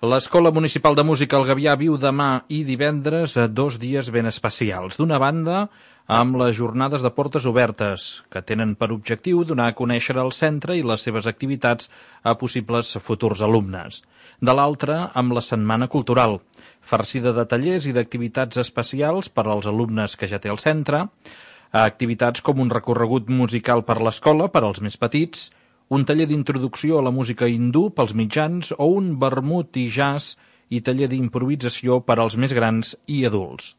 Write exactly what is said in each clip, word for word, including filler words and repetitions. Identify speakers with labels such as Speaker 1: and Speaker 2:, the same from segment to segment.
Speaker 1: L'Escola Municipal de Música El Gavià viu demà i divendres dos dies ben especials. D'una banda, amb les jornades de portes obertes, que tenen per objectiu donar a conèixer el centre i les seves activitats a possibles futurs alumnes. De l'altra, amb la Setmana Cultural, farcida de tallers i d'activitats especials per als alumnes que ja té el centre, activitats com un recorregut musical per l'escola per als més petits, un taller d'introducció a la música hindú pels mitjans o un vermut i jazz i taller d'improvisació per als més grans i adults.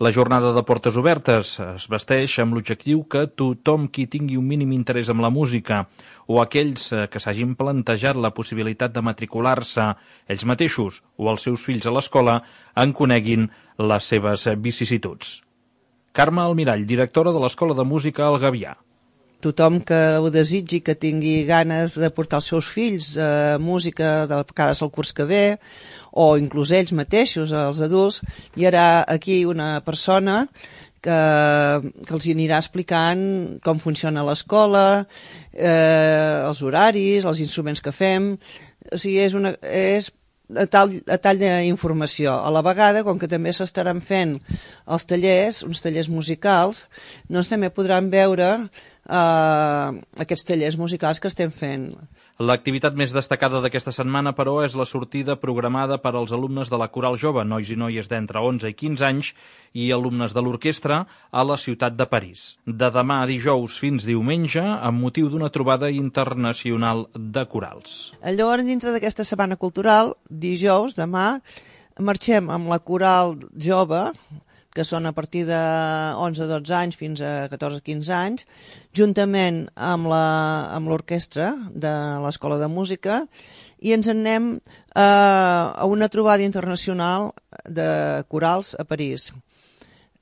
Speaker 1: La jornada de portes obertes es vesteix amb l'objectiu que tothom qui tingui un mínim interès en la música o aquells que s'hagin plantejat la possibilitat de matricular-se ells mateixos o els seus fills a l'escola en coneguin les seves vicissituds. Carme Almirall, directora de l'Escola de Música El Gavià.
Speaker 2: Tothom que ho desitgi, que tingui ganes de portar els seus fills a música de cares al curs que ve, o inclús ells mateixos, els adults, hi haurà aquí una persona que, que els anirà explicant com funciona l'escola, eh, els horaris, els instruments que fem. O sigui, és una... És a tall, a tall d'informació. A la vegada, com que també s'estaran fent els tallers, uns tallers musicals, doncs també podran veure eh, aquests tallers musicals que estem fent.
Speaker 1: L'activitat més destacada d'aquesta setmana, però, és la sortida programada per als alumnes de la Coral Jove, nois i noies d'entre onze i quinze anys, i alumnes de l'orquestra a la ciutat de París. De demà a dijous fins diumenge, amb motiu d'una trobada internacional de corals.
Speaker 2: Llavors, dintre d'aquesta setmana cultural, dijous, demà, marxem amb la Coral Jove, que són a partir de onze a dotze anys fins a catorze a quinze anys, juntament amb la, amb l'orquestra de l'Escola de Música, i ens en anem eh, a una trobada internacional de corals a París.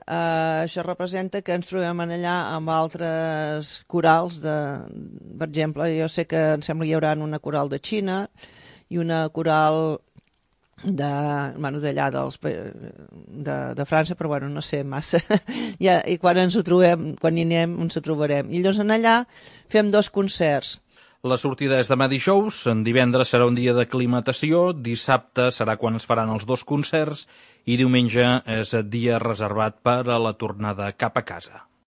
Speaker 2: Eh, això representa que ens trobem allà amb altres corals, de, per exemple, jo sé que em sembla que hi haurà una coral de Xina i una coral de, bueno, d'allà dels, de, de França, però bueno, no sé massa. ja, I quan ens ho trobem, quan hi anem, ens ho trobarem. I llavors en allà fem dos concerts.
Speaker 1: La sortida és demà dijous, en divendres serà un dia d'aclimatació, dissabte serà quan es faran els dos concerts i diumenge és dia reservat per a la tornada cap a casa.